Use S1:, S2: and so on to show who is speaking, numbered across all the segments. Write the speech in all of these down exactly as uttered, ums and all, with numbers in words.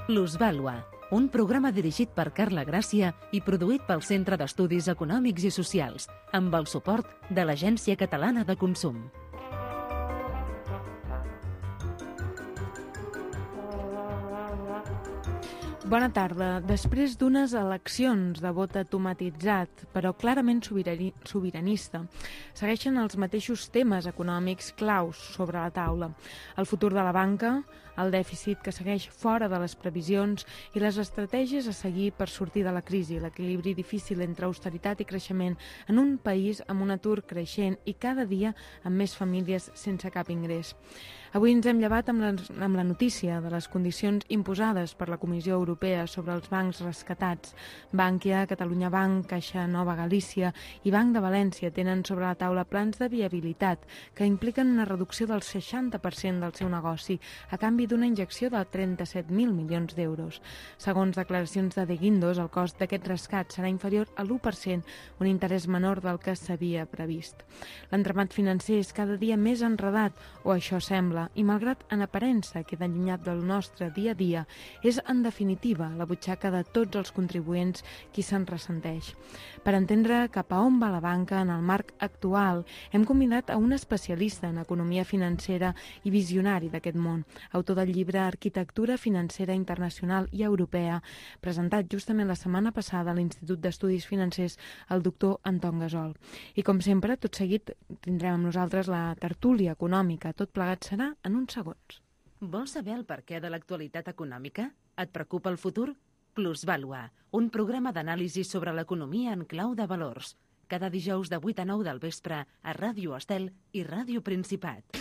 S1: Plusvàlua, un programa dirigit per Carla Gràcia i produït pel Centre d'Estudis Econòmics i Socials, amb el suport de l'Agència Catalana de Consum.
S2: Bona tarda. Després d'unes eleccions de vot automatitzat, però clarament sobirani, sobiranista, segueixen els mateixos temes econòmics claus sobre la taula. El futur de la banca, el dèficit que segueix fora de les previsions i les estratègies a seguir per sortir de la crisi, l'equilibri difícil entre austeritat i creixement en un país amb un atur creixent i cada dia amb més famílies sense cap ingrés. Avui ens hem llevat amb la, amb la notícia de les condicions imposades per la Comissió Europea sobre els bancs rescatats. Bankia, Catalunya Banc, Caixa Nova Galícia i Banc de València tenen sobre la taula plans de viabilitat que impliquen una reducció del seixanta per cent del seu negoci a canvi d'una injecció de trenta-set mil milions d'euros. Segons declaracions de De Guindos, el cost d'aquest rescat serà inferior a l'u per cent, un interès menor del que s'havia previst. L'entramat financer és cada dia més enredat, o això sembla, i malgrat en aparença queda allunyat del nostre dia a dia, és en definitiva la butxaca de tots els contribuents qui se'n ressenteix. Per entendre cap a on va la banca en el marc actual, hem convidat a un especialista en economia financera i visionari d'aquest món, autor del llibre Arquitectura Financera Internacional i Europea, presentat justament la setmana passada a l'Institut d'Estudis Financers, el doctor Anton Gasol. I com sempre, tot seguit tindrem amb nosaltres la tertúlia econòmica. Tot plegat serà en uns segons.
S1: Vols saber el perquè de l'actualitat econòmica? Et preocupa el futur? Plusvàlua, un programa d'anàlisi sobre l'economia en clau de valors. Cada dijous de vuit a nou del vespre a Ràdio Estel i Ràdio Principat.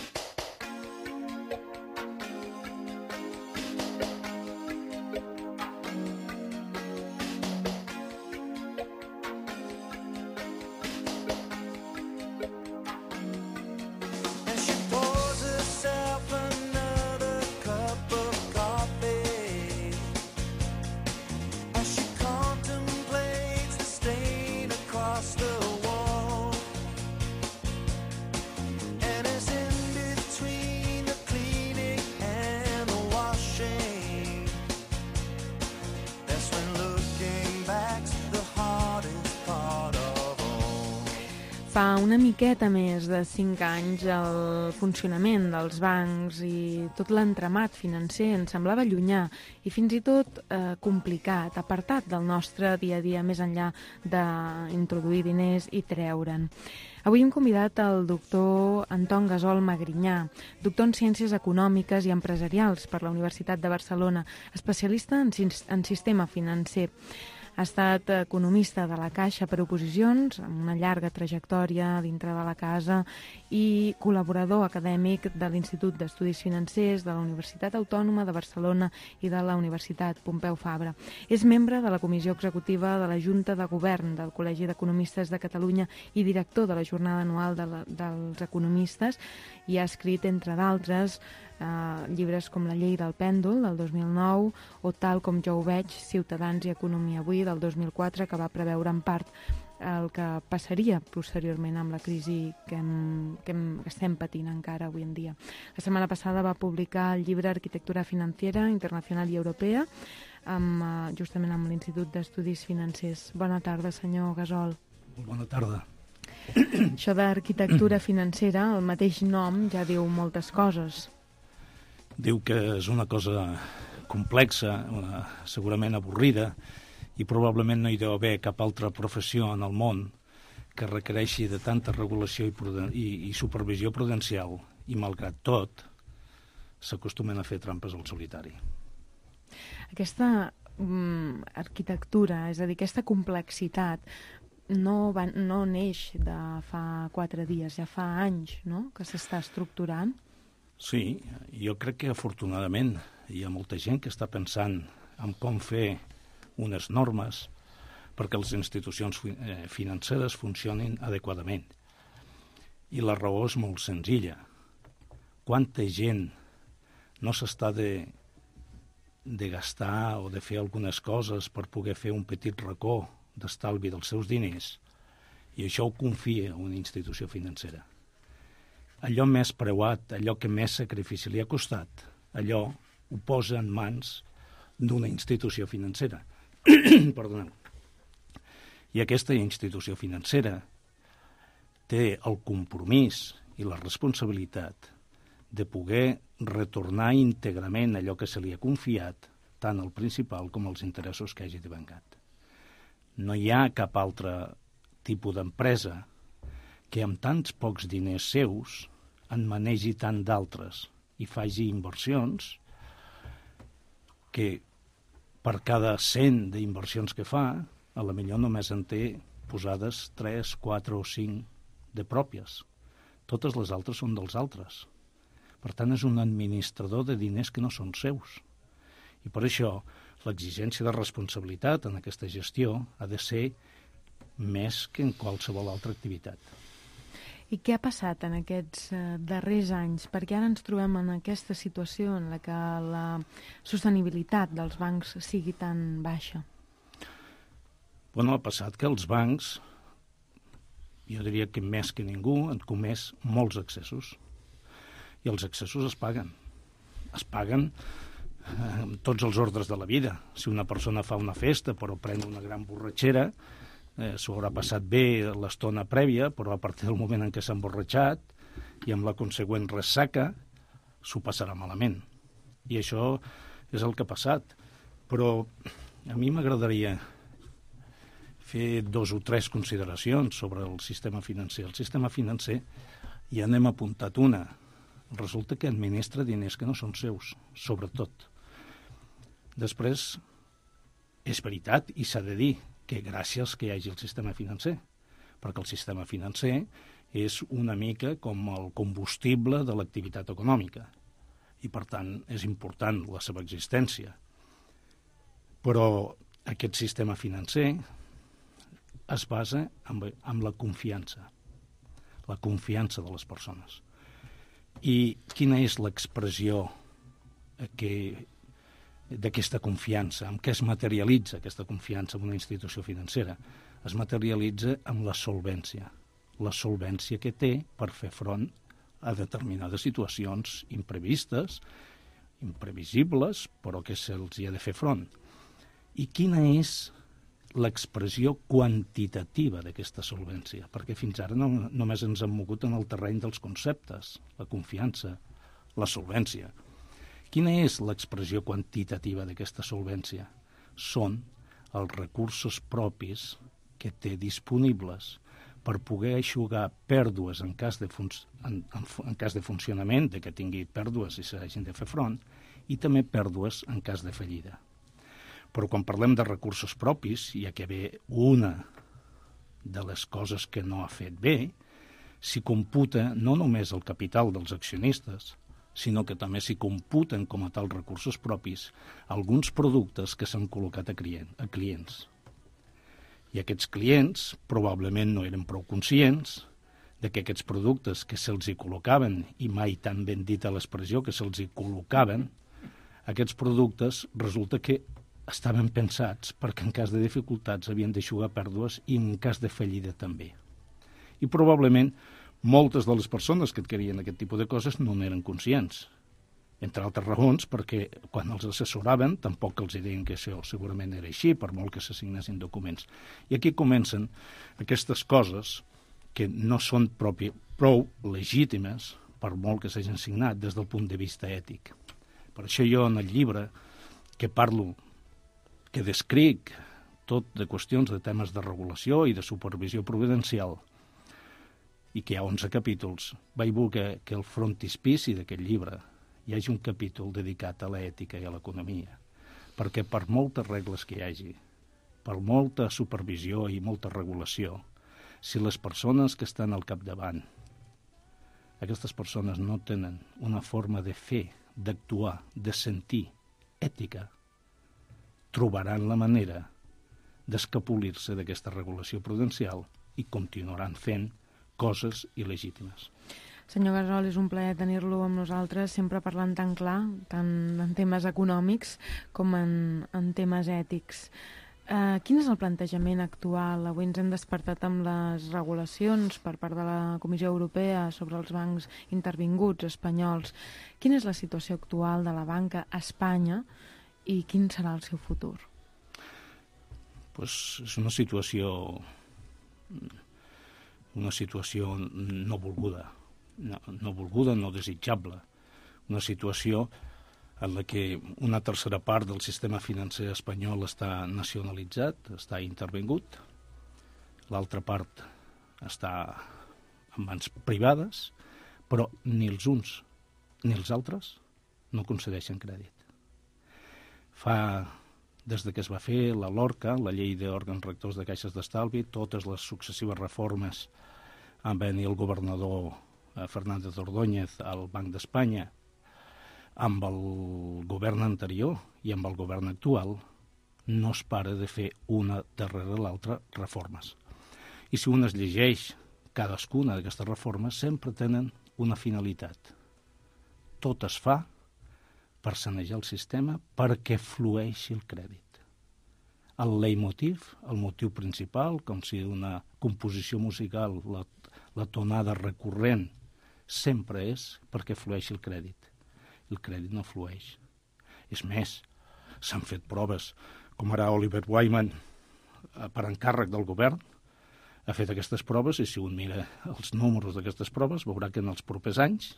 S2: Fa una miqueta més de cinc anys el funcionament dels bancs i tot l'entramat financer ens semblava llunyà i fins i tot eh, complicat, apartat del nostre dia a dia més enllà d'introduir diners i treure'n. Avui hem convidat el doctor Anton Gasol Magrinyà, doctor en Ciències Econòmiques i Empresarials per la Universitat de Barcelona, especialista en, en sistema financer. Ha estat economista de la Caixa per oposicions, amb una llarga trajectòria dintre de la casa i col·laborador acadèmic de l'Institut d'Estudis Financers de la Universitat Autònoma de Barcelona i de la Universitat Pompeu Fabra. És membre de la Comissió Executiva de la Junta de Govern del Col·legi d'Economistes de Catalunya i director de la Jornada Anual de la, dels Economistes i ha escrit, entre d'altres, Uh, llibres com La llei del pèndol, del dos mil nou, o Tal com jo ho veig, Ciutadans i Economia avui, del dos mil quatre, que va preveure en part el que passaria posteriorment amb la crisi que, hem, que, hem, que estem patint encara avui en dia. La setmana passada va publicar el llibre Arquitectura Financera Internacional i Europea, amb, uh, justament amb l'Institut d'Estudis Financers. Bona tarda, senyor Gasol.
S3: Bona tarda.
S2: Això d'arquitectura financera, el mateix nom ja diu moltes coses.
S3: Diu que és una cosa complexa, una, segurament avorrida, i probablement no hi deu haver cap altra professió en el món que requereixi de tanta regulació i, pruden i, i supervisió prudencial, i malgrat tot s'acostumen a fer trampes al solitari.
S2: Aquesta mm, arquitectura, és a dir, aquesta complexitat, no, va, no neix de fa quatre dies, ja fa anys, no?, que s'està estructurant.
S3: Sí, jo crec que afortunadament hi ha molta gent que està pensant en com fer unes normes perquè les institucions financeres funcionin adequadament. I la raó és molt senzilla. Quanta gent no s'està de, de gastar o de fer algunes coses per poder fer un petit racó d'estalvi dels seus diners, i això ho confia a una institució financera. Allò més preuat, allò que més sacrifici li ha costat, allò ho posa en mans d'una institució financera. Perdoneu. I aquesta institució financera té el compromís i la responsabilitat de poder retornar íntegrament allò que se li ha confiat, tant el principal com els interessos que hagi devengat. No hi ha cap altre tipus d'empresa que amb tants pocs diners seus en manegi tant d'altres i faci inversions que per cada cent d'inversions que fa, a la millor només en té posades tres, quatre o cinc de pròpies. Totes les altres són dels altres. Per tant, és un administrador de diners que no són seus. I per això l'exigència de responsabilitat en aquesta gestió ha de ser més que en qualsevol altra activitat.
S2: I què ha passat en aquests eh, darrers anys? Perquè ara ens trobem en aquesta situació en la que la sostenibilitat dels bancs sigui tan baixa.
S3: Bueno, ha passat que els bancs, jo diria que més que ningú, han comès molts excessos. I els excessos es paguen. Es paguen eh, amb tots els ordres de la vida. Si una persona fa una festa però pren una gran borratxera, eh, s'ho haurà passat bé l'estona prèvia, però a partir del moment en què s'ha emborratxat i amb la consegüent ressaca, s'ho passarà malament. I això és el que ha passat. Però a mi m'agradaria fer dos o tres consideracions sobre el sistema financer. El sistema financer, ja n'hem apuntat una, resulta que administra diners que no són seus, sobretot. Després, és veritat, i s'ha de dir, que gràcies que hi hagi el sistema financer, perquè el sistema financer és una mica com el combustible de l'activitat econòmica, i per tant és important la seva existència. Però aquest sistema financer es basa en, en la confiança, la confiança de les persones. I quina és l'expressió que, d'aquesta confiança? En què es materialitza aquesta confiança en una institució financera? Es materialitza en la solvència, la solvència que té per fer front a determinades situacions imprevistes, imprevisibles, però que se'ls hi ha de fer front. I quina és l'expressió quantitativa d'aquesta solvència, perquè fins ara no, només ens hem mogut en el terreny dels conceptes, la confiança, la solvència. Quina és l'expressió quantitativa d'aquesta solvència? Són els recursos propis que té disponibles per poder eixugar pèrdues en cas de, fun en, en, en cas de funcionament, de que tingui pèrdues i s'hagin de fer front, i també pèrdues en cas de fallida. Però quan parlem de recursos propis, ja que ve una de les coses que no ha fet bé, s'hi computa no només el capital dels accionistes, sinó que també s'hi computen com a tal recursos propis alguns productes que s'han col·locat a, client, a clients. I aquests clients probablement no eren prou conscients de que aquests productes que se'ls hi col·locaven, i mai tan ben dita l'expressió que se'ls hi col·locaven, aquests productes resulta que estaven pensats perquè en cas de dificultats havien d'eixugar pèrdues i en cas de fallida també. I probablement moltes de les persones que adquirien aquest tipus de coses no n'eren conscients, entre altres raons perquè quan els assessoraven tampoc els deien que això segurament era així, per molt que s'assignessin documents. I aquí comencen aquestes coses que no són propi, prou legítimes per molt que s'hagin signat des del punt de vista ètic. Per això jo en el llibre que parlo que descric tot de qüestions de temes de regulació i de supervisió providencial i que hi ha onze capítols, vaig voler que el frontispici d'aquest llibre hi hagi un capítol dedicat a l'ètica i a l'economia, perquè per moltes regles que hi hagi, per molta supervisió i molta regulació, si les persones que estan al capdavant, aquestes persones no tenen una forma de fer, d'actuar, de sentir ètica, trobaran la manera d'escapolir-se d'aquesta regulació prudencial i continuaran fent coses il·legítimes.
S2: Senyor Gasol, és un plaer tenir-lo amb nosaltres, sempre parlant tan clar, tant en temes econòmics com en, en temes ètics. Uh, quin és el plantejament actual? Avui ens hem despertat amb les regulacions per part de la Comissió Europea sobre els bancs intervinguts espanyols. Quina és la situació actual de la banca a Espanya i quin serà el seu futur?
S3: Pues és una situació una situació no volguda, no, no volguda, no desitjable, una situació en la que una tercera part del sistema financer espanyol està nacionalitzat, està intervingut, l'altra part està en mans privades, però ni els uns ni els altres no concedeixen crèdit. Fa, des de que es va fer la LORCA, la llei d'òrgans rectors de caixes d'estalvi, totes les successives reformes amb venir el governador Fernández Ordóñez al Banc d'Espanya, amb el govern anterior i amb el govern actual, no es para de fer una darrere l'altra reformes. I si un es llegeix cadascuna d'aquestes reformes, sempre tenen una finalitat. Tot es fa per sanejar el sistema perquè flueixi el crèdit. El leitmotiv, el motiu principal, com si una composició musical, la, la tonada recurrent, sempre és perquè flueixi el crèdit. El crèdit no flueix. És més, s'han fet proves, com ara Oliver Wyman, per encàrrec del govern, ha fet aquestes proves, i si un mira els números d'aquestes proves, veurà que en els propers anys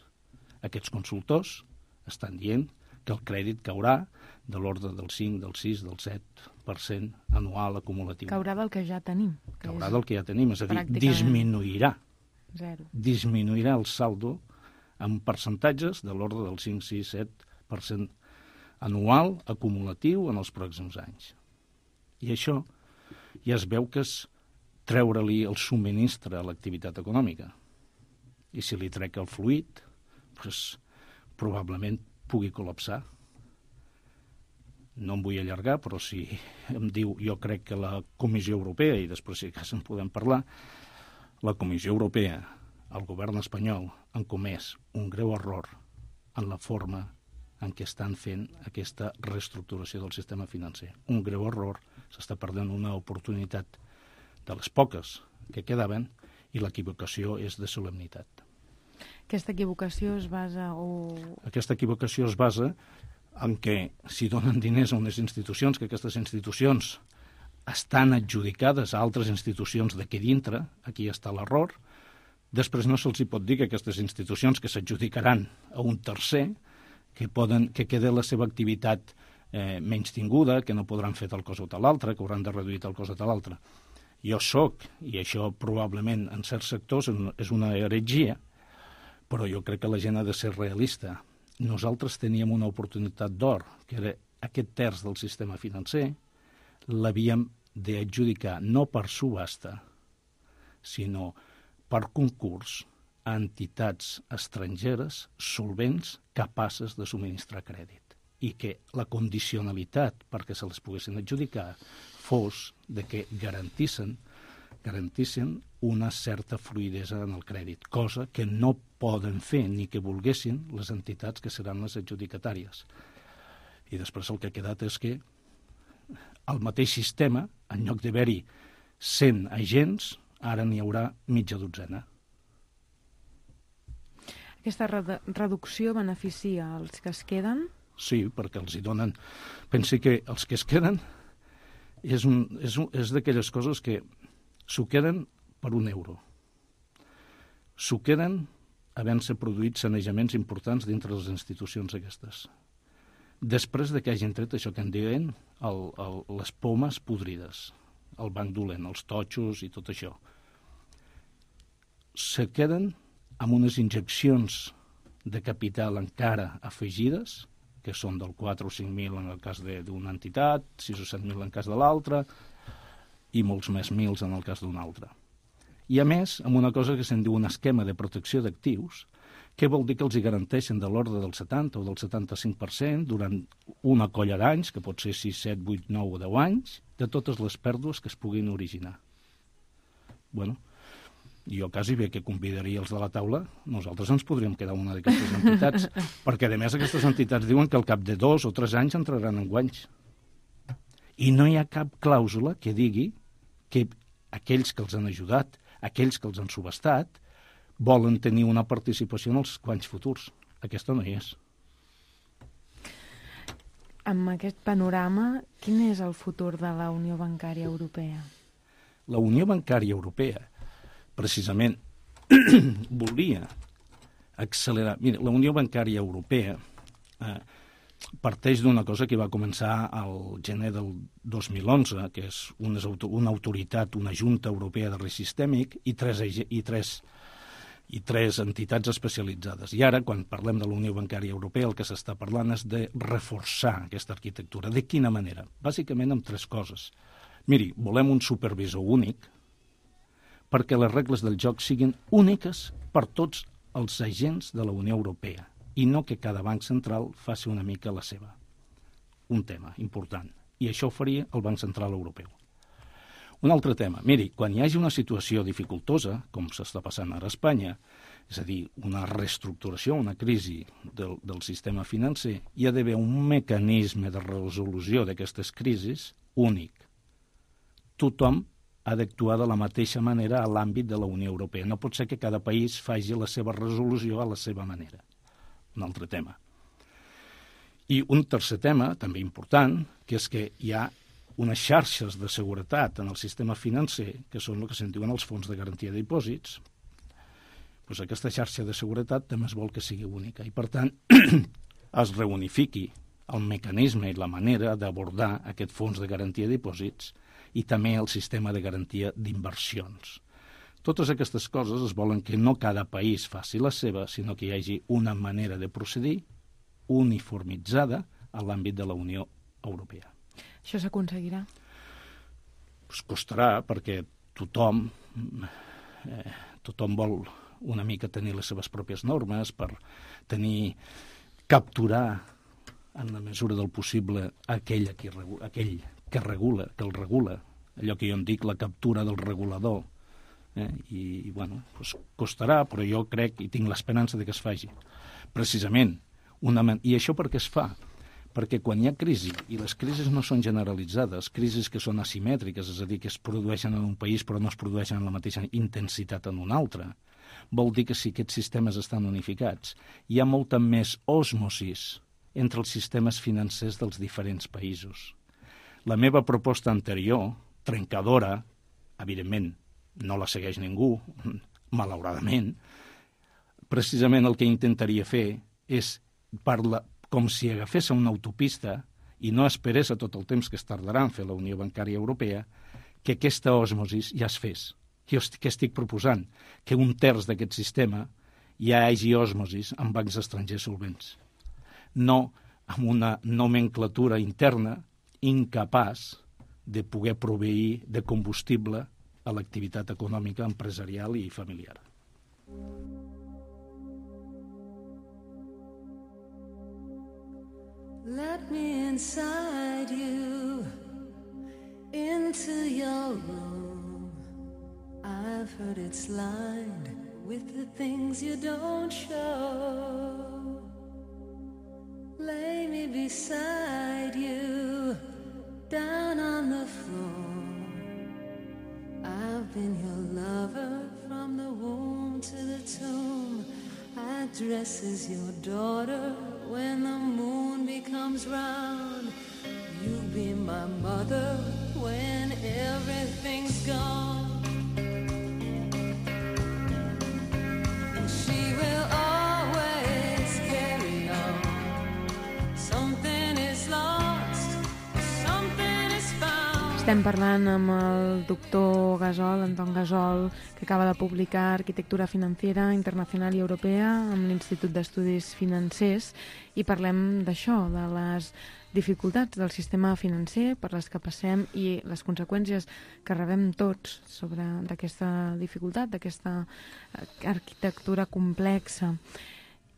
S3: aquests consultors estan dient que el crèdit caurà de l'ordre del cinc, del sis, del set per cent anual acumulatiu.
S2: Caurà del que ja tenim. Que
S3: Caurà
S2: és
S3: del que ja tenim, és a dir,
S2: pràcticament
S3: disminuirà.
S2: Zero.
S3: Disminuirà el saldo en percentatges de l'ordre del cinc, sis, set per cent anual acumulatiu en els pròxims anys. I això ja es veu que és treure-li el subministre a l'activitat econòmica. I si li trec el fluid, doncs, probablement pugui col·lapsar. No em vull allargar, però si em diu, jo crec que la Comissió Europea, i després si cas en podem parlar, la Comissió Europea, el govern espanyol, han comès un greu error en la forma en què estan fent aquesta reestructuració del sistema financer. Un greu error, s'està perdent una oportunitat de les poques que quedaven, i l'equivocació és de solemnitat.
S2: Aquesta equivocació es basa o...
S3: Aquesta equivocació es basa en que si donen diners a unes institucions, que aquestes institucions estan adjudicades a altres institucions d'aquí dintre, aquí està l'error, després no se'ls hi pot dir que aquestes institucions que s'adjudicaran a un tercer, que, poden, que quede la seva activitat eh, menys tinguda, que no podran fer tal cosa o tal altra, que hauran de reduir tal cosa o tal altra. Jo soc, i això probablement en certs sectors és una heretgia, però jo crec que la gent ha de ser realista. Nosaltres teníem una oportunitat d'or, que era aquest terç del sistema financer, l'havíem d'adjudicar no per subhasta, sinó per concurs a entitats estrangeres solvents capaces de subministrar crèdit, i que la condicionalitat perquè se les poguessin adjudicar fos de que garantissin, garantissin una certa fluïdesa en el crèdit, cosa que no poden fer ni que volguessin les entitats que seran les adjudicatàries. I després el que ha quedat és que el mateix sistema, en lloc d'haver-hi cent agents, ara n'hi haurà mitja dotzena.
S2: Aquesta redu- reducció beneficia els que es queden?
S3: Sí, perquè els hi donen... Pensi que els que es queden és, un, és, un, és d'aquelles coses que s'ho queden per un euro. S'ho queden havent-se produït sanejaments importants dintre les institucions aquestes. Després de que hagin tret això que en diuen el, el, les pomes podrides, el banc dolent, els totxos i tot això. Se queden amb unes injeccions de capital encara afegides, que són del quatre o cinc mil en el cas d'una entitat, sis o set mil en el cas de l'altra, i molts més mils en el cas d'una altra. I a més, amb una cosa que se'n diu un esquema de protecció d'actius, que vol dir que els hi garanteixen de l'ordre del setanta o del setanta-cinc per cent durant una colla d'anys, que pot ser sis, set, vuit, nou o deu anys, de totes les pèrdues que es puguin originar. Bueno, jo quasi bé que convidaria els de la taula, nosaltres ens podríem quedar una d'aquestes entitats, perquè a més aquestes entitats diuen que al cap de dos o tres anys entraran en guanys. I no hi ha cap clàusula que digui que aquells que els han ajudat, aquells que els han subestat, volen tenir una participació en els guanys futurs. Aquesta no hi és.
S2: amb aquest panorama, quin és el futur de la Unió Bancària Europea?
S3: La Unió Bancària Europea, precisament, volia accelerar... Mira, la Unió Bancària Europea eh, parteix d'una cosa que va començar al gener del dos mil onze, que és una, una autoritat, una Junta Europea de Risc Sistèmic i tres, i, tres, i tres entitats especialitzades. I ara, quan parlem de la Unió Bancària Europea, el que s'està parlant és de reforçar aquesta arquitectura. De quina manera? Bàsicament amb tres coses. Miri, volem un supervisor únic perquè les regles del joc siguin úniques per tots els agents de la Unió Europea i no que cada banc central faci una mica la seva. Un tema important. I això ho faria el Banc Central Europeu. Un altre tema. Miri, quan hi hagi una situació dificultosa, com s'està passant ara a Espanya, és a dir, una reestructuració, una crisi del, del sistema financer, hi ha d'haver un mecanisme de resolució d'aquestes crisis únic. Tothom ha d'actuar de la mateixa manera a l'àmbit de la Unió Europea. No pot ser que cada país faci la seva resolució a la seva manera. Un altre tema. I un tercer tema, també important, que és que hi ha unes xarxes de seguretat en el sistema financer, que són el que se'n diuen els fons de garantia de dipòsits. Pues aquesta xarxa de seguretat també es vol que sigui única i, per tant, es reunifiqui el mecanisme i la manera d'abordar aquest fons de garantia de dipòsits i també el sistema de garantia d'inversions. Totes aquestes coses es volen que no cada país faci la seva, sinó que hi hagi una manera de procedir uniformitzada a l'àmbit de la Unió Europea.
S2: Això s'aconseguirà?
S3: Pues costarà, perquè tothom, eh, tothom vol una mica tenir les seves pròpies normes per tenir, capturar en la mesura del possible aquell, qui, aquell que regula, que el regula, allò que jo en dic la captura del regulador. Eh? I, i bueno, pues costarà, però jo crec i tinc l'esperança de que es faci. Precisament, una man... i això per què es fa? Perquè quan hi ha crisi, i les crisis no són generalitzades, crisis que són asimètriques, és a dir, que es produeixen en un país però no es produeixen en la mateixa intensitat en un altre, vol dir que si aquests sistemes estan unificats, hi ha molta més osmosis entre els sistemes financers dels diferents països. La meva proposta anterior, trencadora, evidentment, no la segueix ningú, malauradament, precisament el que intentaria fer és, parla, com si agafés una autopista i no esperés a tot el temps que es tardarà en fer la Unió Bancària Europea, que aquesta osmosis ja es fes. Què estic proposant? Que un terç d'aquest sistema ja hi hagi osmosis amb bancs estrangers solvents. No amb una nomenclatura interna incapaç de poder proveir de combustible a l'activitat econòmica, empresarial i familiar.
S4: Let me inside you, into your room. I've heard it's lined with the things you don't show. Lay me beside you, down on the floor. I've been your lover from the womb to the tomb. I dress as your daughter when the moon becomes round. You be my mother when everything's gone. She will always carry on. Something is lost, something is found.
S2: Estem parlant amb el doctor Gasol, Anton Gasol, que acaba de publicar Arquitectura Financiera Internacional i Europea amb l'Institut d'Estudis Financers, i parlem d'això, de les dificultats del sistema financer per les que passem i les conseqüències que rebem tots sobre d'aquesta dificultat, d'aquesta arquitectura complexa.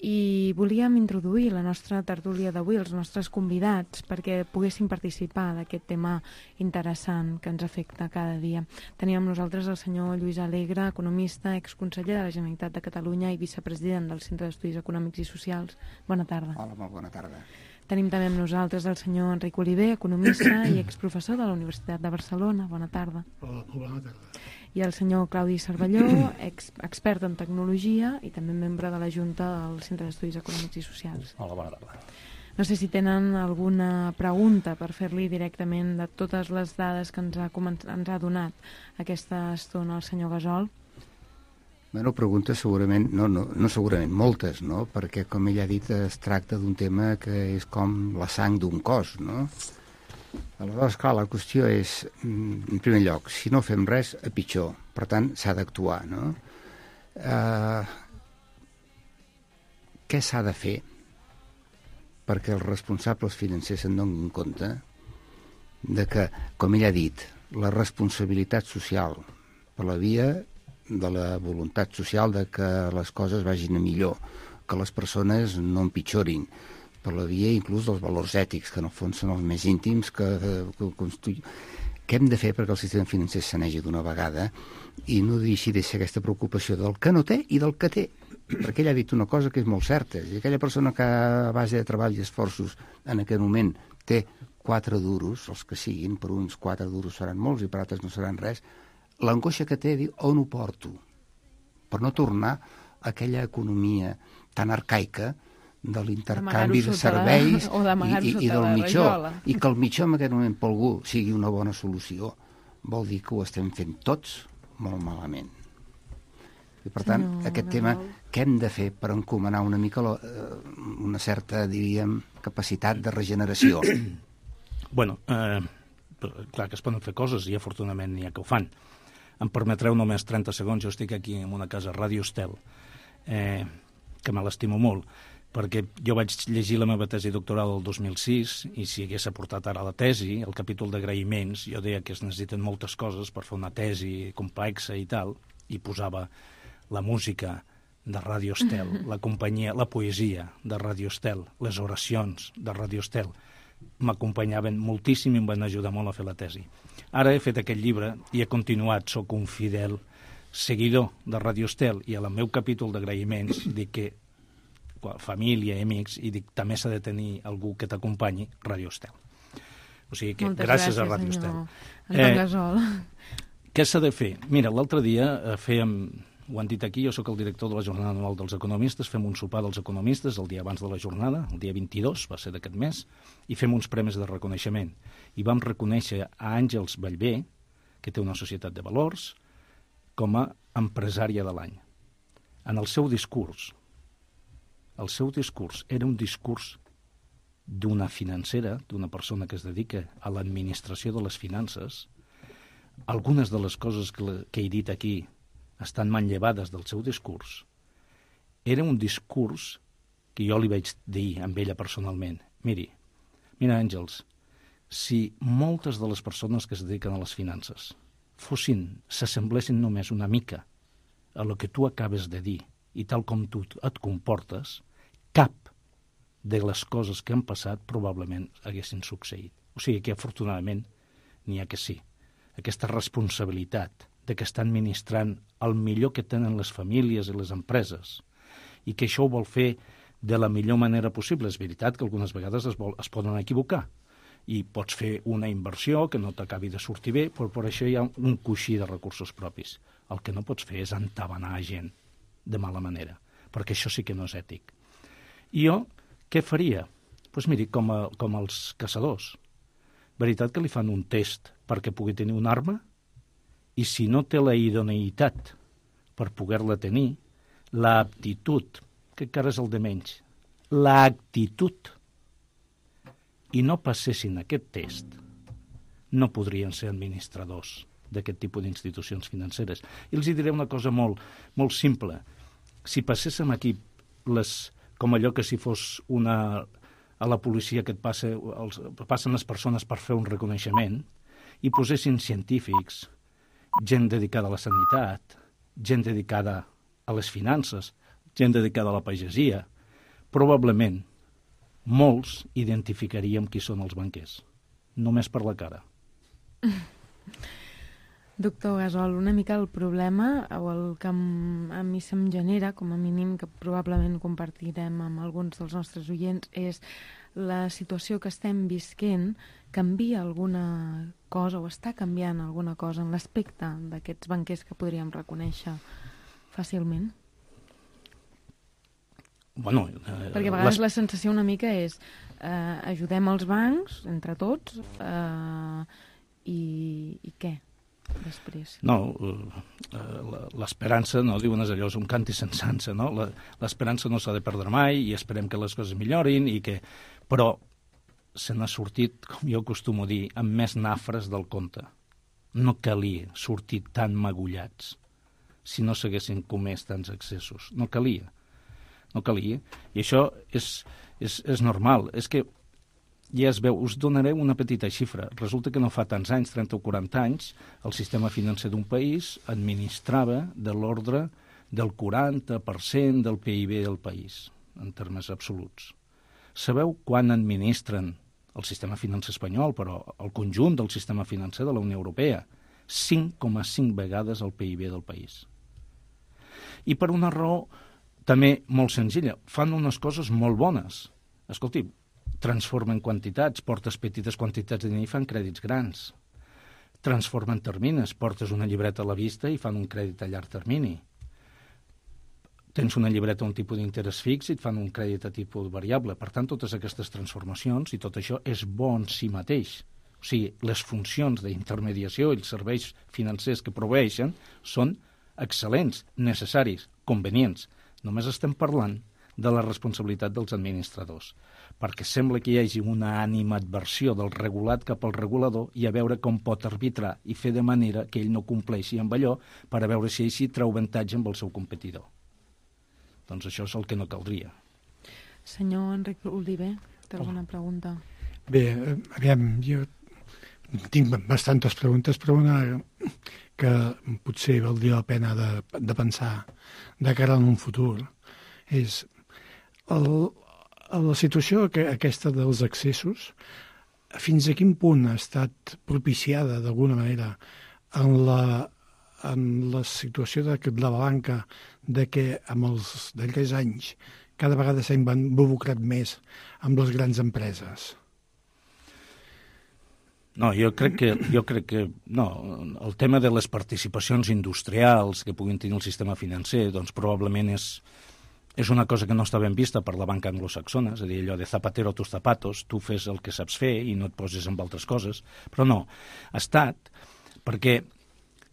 S2: I volíem introduir la nostra tertúlia d'avui, els nostres convidats, perquè poguessin participar d'aquest tema interessant que ens afecta cada dia. Teníem nosaltres el senyor Lluís Alegre, economista, exconseller de la Generalitat de Catalunya i vicepresident del Centre d'Estudis Econòmics i Socials. Bona tarda.
S5: Hola, molt bona tarda.
S2: Tenim també amb nosaltres el senyor Enric Oliver, economista i exprofessor de la Universitat de Barcelona. Bona tarda.
S6: Hola, molt bona tarda.
S2: I el senyor Claudi Cervelló, ex expert en tecnologia i també membre de la Junta del Centre d'Estudis Econòmics i Socials.
S7: Hola, bona tarda.
S2: No sé si tenen alguna pregunta per fer-li directament de totes les dades que ens ha, ens ha donat aquesta estona el senyor Gasol.
S5: Bueno, preguntes segurament, no, no, no segurament, moltes, no? Perquè, com ell ha dit, es tracta d'un tema que és com la sang d'un cos, no? Aleshores, clar, la qüestió és, en primer lloc, si no fem res, a pitjor. Per tant, s'ha d'actuar, no? Uh, què s'ha de fer perquè els responsables financers se'n donin compte de que, com ell ha dit, la responsabilitat social per la via de la voluntat social de que les coses vagin a millor, que les persones no empitjorin, per la via inclús dels valors ètics, que en el fons són els més íntims que, que construïm. Què hem de fer perquè el sistema financer s'anegi d'una vegada i no deixi de ser aquesta preocupació del que no té i del que té? Perquè ell ha dit una cosa que és molt certa, i aquella persona que a base de treball i esforços en aquest moment té quatre duros, els que siguin, per uns quatre duros seran molts i per altres no seran res, l'angoixa que té, diu, on ho porto? Per no tornar a aquella economia tan arcaica de l'intercanvi de serveis
S2: la,
S5: i, i, i del mitjó. I que el mitjó en aquest moment per algú sigui una bona solució vol dir que ho estem fent tots molt malament. I per tant, no, aquest no. tema, què hem de fer per encomanar una mica la, una certa, diríem, capacitat de regeneració?
S3: Bueno, eh, clar que es poden fer coses i afortunadament n'hi ha que ho fan. Em permetreu només trenta segons, jo estic aquí en una casa, Ràdio Estel, eh, que me l'estimo molt, perquè jo vaig llegir la meva tesi doctoral el dos mil sis i si hagués aportat ara la tesi, el capítol d'agraïments, jo deia que es necessiten moltes coses per fer una tesi complexa i tal, i posava la música de Ràdio Estel, la companyia, la poesia de Ràdio Estel, les oracions de Ràdio Estel, m'acompanyaven moltíssim i em van ajudar molt a fer la tesi. Ara he fet aquest llibre i he continuat, sóc un fidel seguidor de Ràdio Estel i al meu capítol d'agraïments dic que família i amics, i dic també s'ha de tenir algú que t'acompanyi, Ràdio Estel. O sigui que
S2: Moltes
S3: gràcies,
S2: gràcies
S3: a Ràdio
S2: senyor.
S3: Estel. Eh, què s'ha de fer? Mira, l'altre dia eh, fèiem, ho han dit aquí, jo sóc el director de la Jornada Anual dels Economistes, fem un sopar dels economistes el dia abans de la jornada, el dia vint-i-dos, va ser d'aquest mes, i fem uns premis de reconeixement. I vam reconèixer a Àngels Ballbé, que té una societat de valors, com a empresària de l'any. En el seu discurs, el seu discurs era un discurs d'una financera, d'una persona que es dedica a l'administració de les finances. Algunes de les coses que, que he dit aquí estan manllevades del seu discurs. Era un discurs que jo li vaig dir amb ella personalment. Miri, mira, Àngels, si moltes de les persones que es dediquen a les finances fossin, s'assemblessin només una mica a lo que tu acabes de dir i tal com tu et comportes, cap de les coses que han passat probablement haguessin succeït. O sigui que, afortunadament, n'hi ha que sí. Aquesta responsabilitat de que estan administrant el millor que tenen les famílies i les empreses i que això ho vol fer de la millor manera possible. És veritat que algunes vegades es, vol, es poden equivocar i pots fer una inversió que no t'acabi de sortir bé, però per això hi ha un coixí de recursos propis. El que no pots fer és entabanar gent de mala manera, perquè això sí que no és ètic. I jo, què faria? Doncs pues miri, com, a, com els caçadors. Veritat que li fan un test perquè pugui tenir una arma? I si no té la idoneïtat per poder-la tenir, l'aptitud, que encara és el de menys, l'actitud, i no passessin aquest test, no podrien ser administradors d'aquest tipus d'institucions financeres. I els diré una cosa molt, molt simple. Si passéssim aquí les, com allò que si fos una, a la policia que et passa, els, passen les persones per fer un reconeixement, i posessin científics, gent dedicada a la sanitat, gent dedicada a les finances, gent dedicada a la pagesia, probablement molts identificaríem qui són els banquers, només per la cara.
S2: Doctor Gasol, una mica el problema, o el que a mi se'm genera, com a mínim, que probablement compartirem amb alguns dels nostres oients, és la situació que estem visquent canvia alguna cosa o està canviant alguna cosa en l'aspecte d'aquests banquers que podríem reconèixer fàcilment?
S3: Bueno, eh,
S2: Perquè a vegades
S3: les...
S2: la sensació una mica és eh, ajudem els bancs, entre tots, eh, i, i què després?
S3: No, eh, l'esperança, no diuen allò, és un canti sense ansa, no? L'esperança no s'ha de perdre mai i esperem que les coses millorin, i que... però se n'ha sortit, com jo acostumo a dir, amb més nafres del compte. No calia sortir tan magullats si no s'haguessin comès tants excessos. No calia. No calia. I això és, és, és normal. És que ja es veu, us donaré una petita xifra. Resulta que no fa tants anys, trenta o quaranta anys, el sistema financer d'un país administrava de l'ordre del quaranta per cent del P I B del país, en termes absoluts. Sabeu quan administren el sistema financer espanyol, però el conjunt del sistema financer de la Unió Europea? cinc coma cinc vegades el P I B del país. I per una raó també molt senzilla, fan unes coses molt bones. Escolti, transformen quantitats, portes petites quantitats de diner i fan crèdits grans. Transformen termines, portes una llibreta a la vista i fan un crèdit a llarg termini. Tens una llibreta a un tipus d'interès fix i et fan un crèdit a tipus variable. Per tant, totes aquestes transformacions i tot això és bo en si mateix. O sigui, les funcions d'intermediació i els serveis financers que proveeixen són excel·lents, necessaris, convenients. Només estem parlant de la responsabilitat dels administradors, perquè sembla que hi hagi una animadversió del regulat cap al regulador i a veure com pot arbitrar i fer de manera que ell no compleixi amb allò per a veure si així treu avantatge amb el seu competidor. Doncs això és el que no caldria.
S2: Senyor Enric Oliver, té alguna pregunta?
S6: Bé, aviam, jo tinc bastantes preguntes, però una que potser valdria la pena de, de pensar de cara en un futur és el, la situació que, aquesta dels excessos, fins a quin punt ha estat propiciada d'alguna manera en la, en la situació de, de la banca, de que amb els darrers anys cada vegada s'ha involucrat més amb les grans empreses?
S3: No, jo crec que, jo crec que no, el tema de les participacions industrials que puguin tenir el sistema financer, doncs probablement és, és una cosa que no està ben vista per la banca anglosaxona, és a dir, allò de zapatero a tus zapatos, tu fes el que saps fer i no et poses amb altres coses, però no, ha estat perquè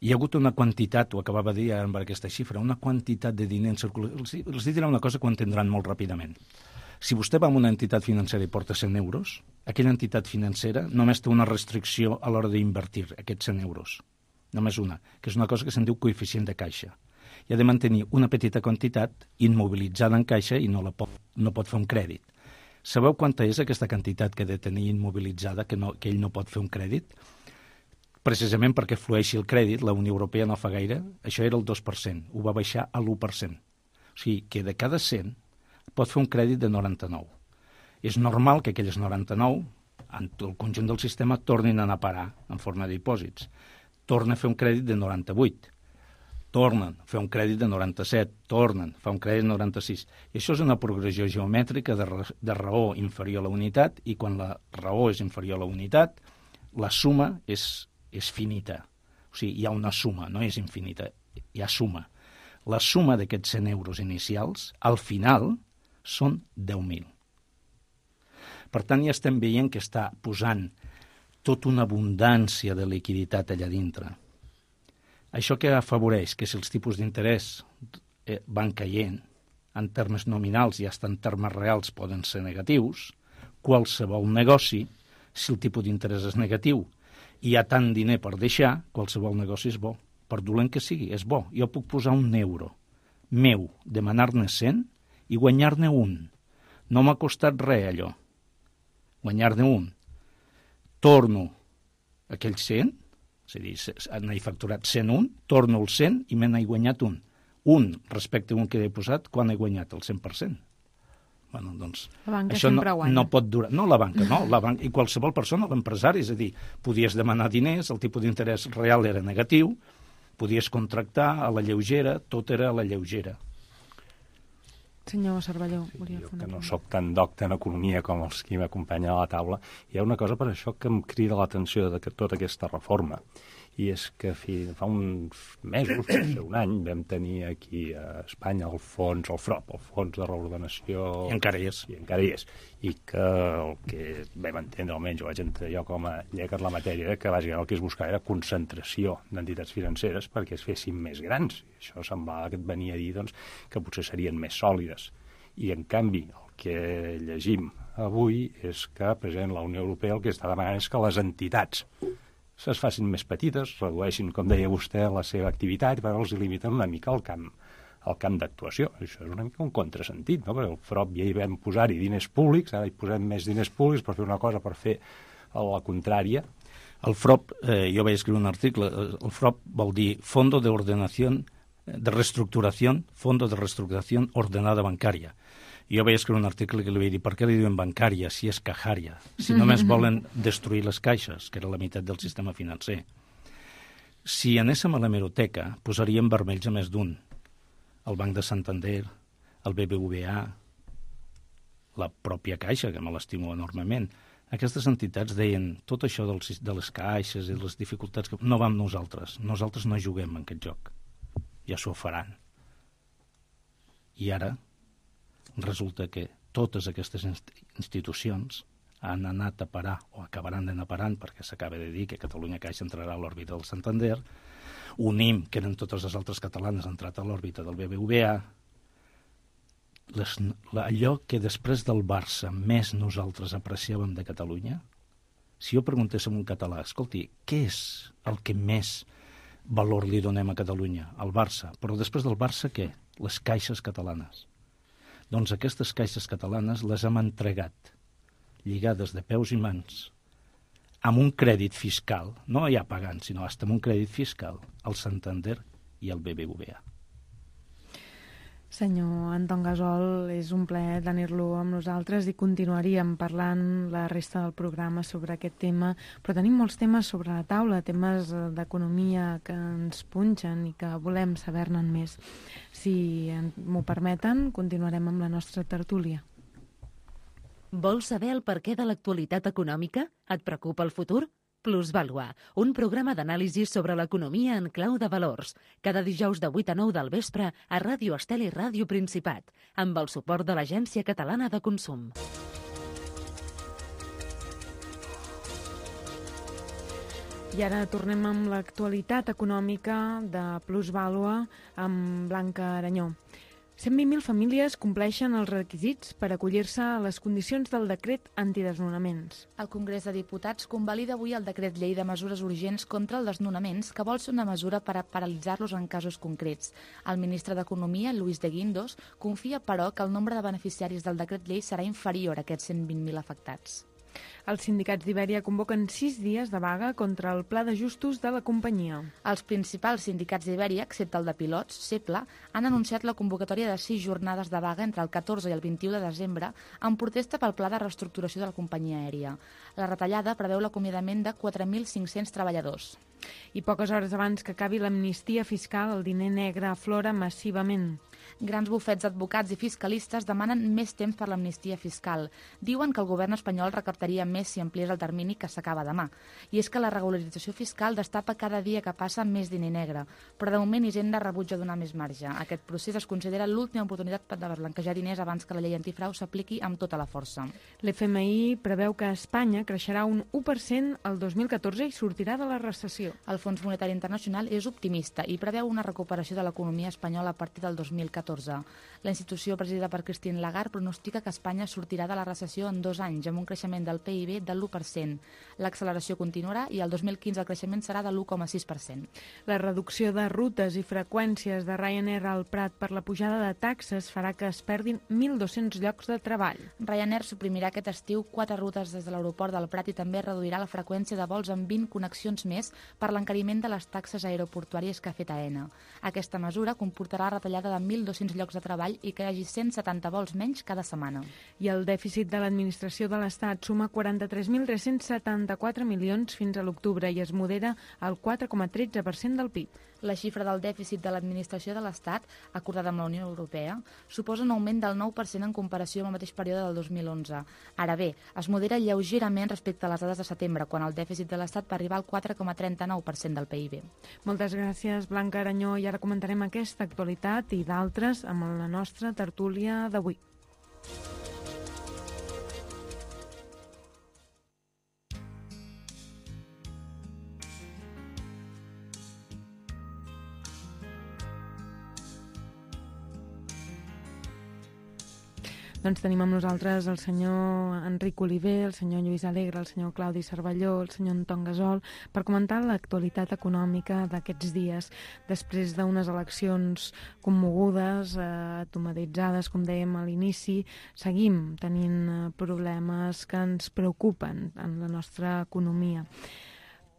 S3: hi ha hagut una quantitat, ho acabava de dir amb aquesta xifra, una quantitat de diner en circulació. Els, els diré una cosa que ho entendran molt ràpidament. Si vostè va a una entitat financera i porta cent euros, aquella entitat financera només té una restricció a l'hora d'invertir aquests cent euros. Només una, que és una cosa que se'n diu coeficient de caixa. I ha de mantenir una petita quantitat immobilitzada en caixa i no, la pot, no pot fer un crèdit. Sabeu quanta és aquesta quantitat que ha de tenir immobilitzada, que, no, que ell no pot fer un crèdit? Precisament perquè flueixi el crèdit, la Unió Europea no fa gaire, això era el dos per cent, ho va baixar a l'u per cent. O sigui, que de cada cent pot fer un crèdit de noranta-nou. És normal que aquelles noranta-nou, en el conjunt del sistema, tornin a anar a parar en forma de dipòsits. Torna a fer un crèdit de noranta-vuit. Tornen a fer un crèdit de noranta-set. Tornen a fer un crèdit de noranta-sis. I això és una progressió geomètrica de, ra de raó inferior a la unitat, i quan la raó és inferior a la unitat, la suma és, és finita. O sigui, hi ha una suma, no és infinita, hi ha suma. La suma d'aquests cent euros inicials, al final, són deu mil. Per tant, ja estem veient que està posant tota una abundància de liquiditat allà dintre. Això que afavoreix que si els tipus d'interès van caient en termes nominals i fins en termes reals poden ser negatius, qualsevol negoci, si el tipus d'interès és negatiu i hi ha tant diner per deixar, qualsevol negoci és bo. Per dolent que sigui, és bo. Jo puc posar un euro meu, demanar-ne cent i guanyar-ne un. No m'ha costat res, allò. Guanyar-ne un. Torno aquells cent, és a dir, n'he facturat cent un, torno el cent i me n'he guanyat un. Un respecte a un que he posat, quan he guanyat? El cent per cent. Bueno, doncs,
S2: la banca
S3: això no,
S2: sempre guanya.
S3: No pot durar. No, la banca, no. La banca, i qualsevol persona, l'empresari, és a dir, podies demanar diners, el tipus d'interès real era negatiu, podies contractar a la lleugera, tot era a la lleugera.
S2: Senyor Cervelló,
S7: sí,
S2: volia
S7: jo
S2: fer una
S7: que no
S2: pregunta.
S7: soc tan docte en economia com els que m'acompanyen a la taula, hi ha una cosa per això que em crida l'atenció de tota aquesta reforma, i és que fa uns mesos, potser un any, vam tenir aquí a Espanya el fons, el FROP, el Fons de Reordenació...
S3: I encara hi és.
S7: I encara hi és. I que el que vam entendre, almenys ho vaig entendre jo com a llegat la matèria, que bàsicament el que es buscava era concentració d'entitats financeres perquè es fessin més grans. I això semblava que et venia a dir doncs, que potser serien més sòlides. I, en canvi, el que llegim avui és que, precisament, la Unió Europea el que està demanant és que les entitats es facin més petites, redueixin, com deia vostè, la seva activitat i per els limiten una mica el camp, el camp d'actuació. Això és una mica un contrasentit, no? Perquè el FROP ja hi vam posar-hi diners públics, ara hi posem més diners públics per fer una cosa, per fer la contrària.
S3: El FROP, eh, jo vaig escriure un article, el FROP vol dir Fondo de Ordenación, de Reestructuración, Fondo de Reestructuración Ordenada Bancària. Jo vaig escriure un article que li vaig dir per què li diuen bancària si és cajària, si només volen destruir les caixes, que era la meitat del sistema financer. Si anéssim a l'hemeroteca, posaríem vermells a més d'un. El Banc de Santander, el B B V A, la pròpia Caixa, que me l'estimo enormement. Aquestes entitats deien tot això dels, de les caixes i de les dificultats, que no vam nosaltres, nosaltres no juguem en aquest joc, ja s'ho faran. I ara resulta que totes aquestes institucions han anat a parar, o acabaran d'anar parant, perquè s'acaba de dir que Catalunya Caixa entrarà a l'òrbita del Santander, Unim, que eren totes les altres catalanes, ha entrat a l'òrbita del B B V A, les, allò que després del Barça més nosaltres apreciàvem de Catalunya, si jo preguntés a un català, escolti, què és el que més valor li donem a Catalunya? El Barça. Però després del Barça, què? Les caixes catalanes. Doncs aquestes caixes catalanes les hem entregat lligades de peus i mans amb un crèdit fiscal, no ja pagant, sinó fins amb un crèdit fiscal, al Santander i al B B V A.
S2: Senyor Anton Gasol, és un plaer tenir-lo amb nosaltres i continuaríem parlant la resta del programa sobre aquest tema, però tenim molts temes sobre la taula, temes d'economia que ens punxen i que volem saber-ne més. Si m'ho permeten, continuarem amb la nostra tertúlia.
S1: Vols saber el perquè de l'actualitat econòmica? Et preocupa el futur? Plusvàlua, un programa d'anàlisi sobre l'economia en clau de valors, cada dijous de vuit a nou del vespre a Ràdio Estel i Ràdio Principat, amb el suport de l'Agència Catalana de Consum.
S2: I ara tornem amb l'actualitat econòmica de Plusvàlua amb Blanca Aranyó. cent vint mil famílies compleixen els requisits per acollir-se a les condicions del decret antidesnonaments.
S8: El Congrés de Diputats convalida avui el decret llei de mesures urgents contra els desnonaments, que vol ser una mesura per a paralitzar-los en casos concrets. El ministre d'Economia, Luis de Guindos, confia, però, que el nombre de beneficiaris del decret llei serà inferior a aquests cent vint mil afectats.
S2: Els sindicats d'Ibèria convoquen sis dies de vaga contra el pla d'ajustos de la companyia.
S8: Els principals sindicats d'Ibèria, excepte el de pilots, CEPLA, han anunciat la convocatòria de sis jornades de vaga entre el catorze i el vint-i-u de desembre en protesta pel pla de reestructuració de la companyia aèria. La retallada preveu l'acomiadament de quatre mil cinc-cents treballadors.
S2: I poques hores abans que acabi l'amnistia fiscal, el diner negre aflora massivament.
S8: Grans bufets d'advocats i fiscalistes demanen més temps per l'amnistia fiscal. Diuen que el govern espanyol recaptaria més si ampliés el termini, que s'acaba demà. I és que la regularització fiscal destapa cada dia que passa més diner negre, però de moment Hisenda rebutja donar més marge. Aquest procés es considera l'última oportunitat de blanquejar diners abans que la llei antifrau s'apliqui amb tota la força.
S2: L'F M I preveu que Espanya creixerà un u per cent el dos mil catorze i sortirà de la recessió.
S8: El Fons Monetari Internacional és optimista i preveu una recuperació de l'economia espanyola a partir del dos mil catorze. La institució presidida per Christine Lagarde pronostica que Espanya sortirà de la recessió en dos anys, amb un creixement del P I B de l'u per cent. L'acceleració continuarà i el dos mil quinze el creixement serà de l'u coma sis per cent.
S2: La reducció de rutes i freqüències de Ryanair al Prat per la pujada de taxes farà que es perdin mil dos-cents llocs de treball.
S8: Ryanair suprimirà aquest estiu quatre rutes des de l'aeroport del Prat i també reduirà la freqüència de vols amb vint connexions més per l'encariment de les taxes aeroportuàries que ha fet A E N A. Aquesta mesura comportarà la retallada de mil mil dos-cents llocs de treball i que hi hagi cent setanta vols menys cada setmana.
S2: I el dèficit de l'administració de l'Estat suma quaranta-tres mil tres-cents setanta-quatre milions fins a l'octubre i es modera al quatre coma tretze per cent del P I B.
S8: La xifra del dèficit de l'administració de l'Estat, acordada amb la Unió Europea, suposa un augment del nou per cent en comparació amb el mateix període del dos mil onze. Ara bé, es modera lleugerament respecte a les dades de setembre, quan el dèficit de l'Estat va arribar al quatre coma trenta-nou per cent del P I B.
S2: Moltes gràcies, Blanca Aranyó, i ara comentarem aquesta actualitat i d'altres amb la nostra tertúlia d'avui. Doncs tenim amb nosaltres el senyor Enric Oliver, el senyor Lluís Alegre, el senyor Claudi Cervelló, el senyor Anton Gasol, per comentar l'actualitat econòmica d'aquests dies, després d'unes eleccions commogudes, eh, automatitzades, com dèiem a l'inici. Seguim tenint problemes que ens preocupen en la nostra economia.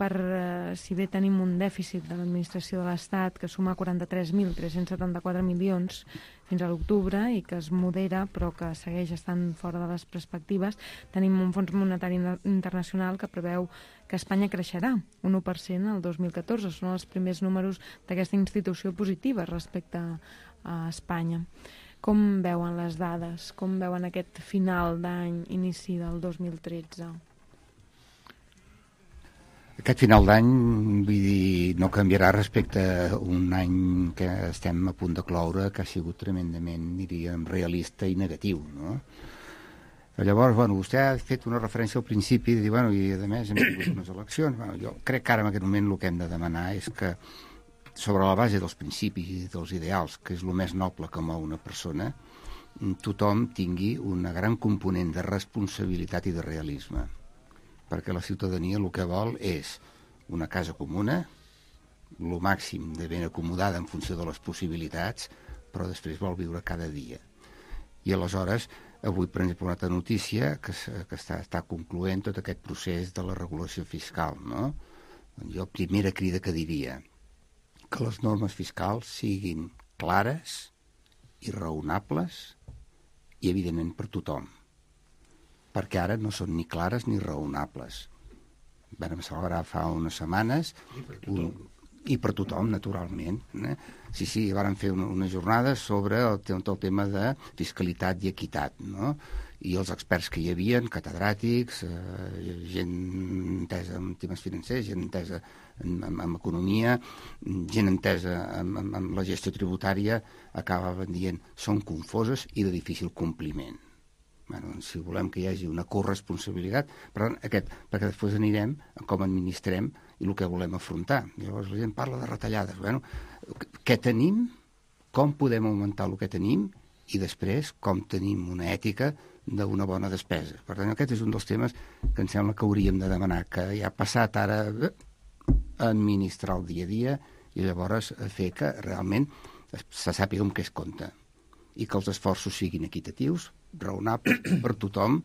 S2: Per, eh, si bé tenim un dèficit de l'administració de l'Estat que suma quaranta-tres mil tres-cents setanta-quatre milions fins a l'octubre i que es modera però que segueix estant fora de les perspectives, tenim un Fons Monetari Internacional que preveu que Espanya creixerà un u per cent el dos mil catorze. Són els primers números d'aquesta institució positiva respecte a Espanya. Com veuen les dades? Com veuen aquest final d'any, inici del dos mil tretze?
S5: Aquest final d'any, vull dir, no canviarà respecte a un any que estem a punt de cloure, que ha sigut tremendament, diríem, realista i negatiu, no? Llavors, bueno, vostè ha fet una referència al principi de dir, bueno, i a més hem tingut unes eleccions. Bueno, jo crec que ara en aquest moment el que hem de demanar és que, sobre la base dels principis i dels ideals, que és el més noble que mou una persona, tothom tingui una gran component de responsabilitat i de realisme. Perquè la ciutadania el que vol és una casa comuna, el màxim de ben acomodada en funció de les possibilitats, però després vol viure cada dia. I aleshores, avui, per exemple, una altra notícia que, que està, està concloent tot aquest procés de la regulació fiscal, no? Jo, primera crida que diria, que les normes fiscals siguin clares i raonables i, evidentment, per tothom. Perquè ara no són ni clares ni raonables. Vam celebrar fa unes setmanes i per tothom, un, i per tothom naturalment. Eh? Sí, sí, van fer una, una jornada sobre el, el tema de fiscalitat i equitat, no? I els experts que hi havia, catedràtics, eh, gent entesa en temes financers, gent entesa en, en, en economia, gent entesa en, en, en la gestió tributària, acabaven dient són confoses i de difícil compliment. Bueno, si volem que hi hagi una corresponsabilitat, per tant, aquest, perquè després anirem a com administrem i el que volem afrontar. Llavors la gent parla de retallades. Bueno, què tenim, com podem augmentar el que tenim i després com tenim una ètica d'una bona despesa. Per tant, aquest és un dels temes que em sembla que hauríem de demanar, que ja ha passat ara a administrar el dia a dia i llavors a fer que realment se sàpiga amb què es compta i que els esforços siguin equitatius, raonables per tothom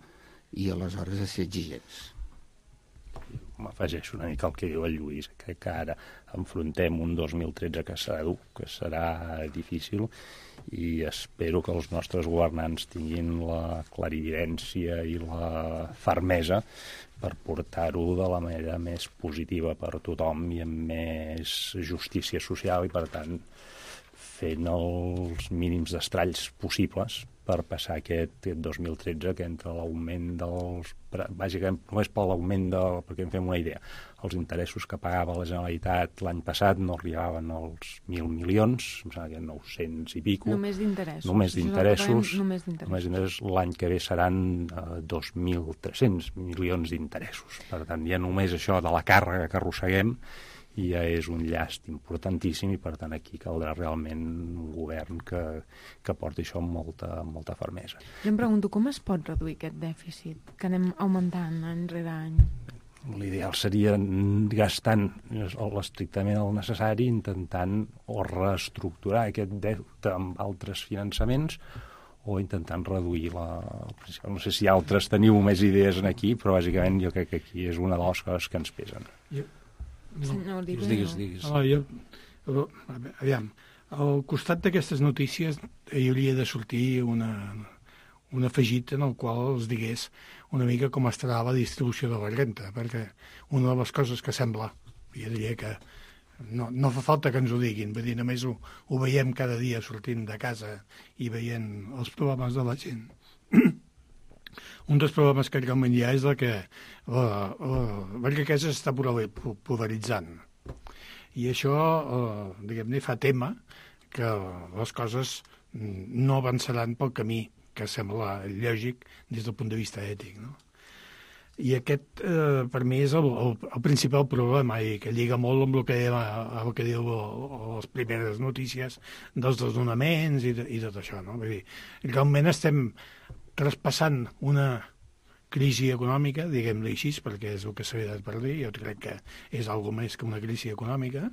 S5: i aleshores a ser exigents.
S7: M'afegeixo una mica el que diu el Lluís, que, que ara enfrontem un dos mil tretze que serà dur, que serà difícil, i espero que els nostres governants tinguin la clarividència i la fermesa per portar-ho de la manera més positiva per tothom i amb més justícia social i, per tant, fent els mínims d'estralls possibles per passar aquest dos mil tretze, que entre l'augment dels... Bàsicament, només per l'augment de... perquè en fem una idea. Els interessos que pagava la Generalitat l'any passat no arribaven als mil milions, em sembla que nou-cents i pico.
S2: Només d'interessos.
S7: Només d'interessos.
S2: Només d'interessos.
S7: L'any que ve seran eh, dos mil tres-cents milions d'interessos. Per tant, ja només això de la càrrega que arrosseguem ja és un llast importantíssim i, per tant, aquí caldrà realment un govern que, que porti això amb molta, amb molta fermesa.
S2: Jo em pregunto, com es pot reduir aquest dèficit que anem augmentant any rere any?
S7: L'ideal seria gastant l'estrictament el necessari, intentant o reestructurar aquest deute amb altres finançaments o intentant reduir la... No sé si altres teniu més idees aquí, però bàsicament jo crec que aquí és una de les coses que ens pesen.
S6: Jo...
S2: No,
S3: digues, digues.
S6: Oh, jo, aviam, al costat d'aquestes notícies hi hauria de sortir una, un afegit en el qual els digués una mica com estarà la distribució de la renta, perquè una de les coses que sembla, jo diria que no, no fa falta que ens ho diguin, vull dir, només ho, ho veiem cada dia sortint de casa i veient els problemes de la gent. Un dels problemes que realment hi ha és el que la, la, la riquesa s'està polaritzant. I això, eh, diguem-ne, fa tema que les coses no avançaran pel camí que sembla lògic des del punt de vista ètic, no? I aquest, eh, per mi, és el, el, el principal problema i que lliga molt amb el que, el que diu les primeres notícies dels desnonaments i, de, i tot això, no? Vull dir, realment estem traspassant una crisi econòmica, diguem-li així, perquè és el que s'havia de per dir, jo crec que és algo més que una crisi econòmica,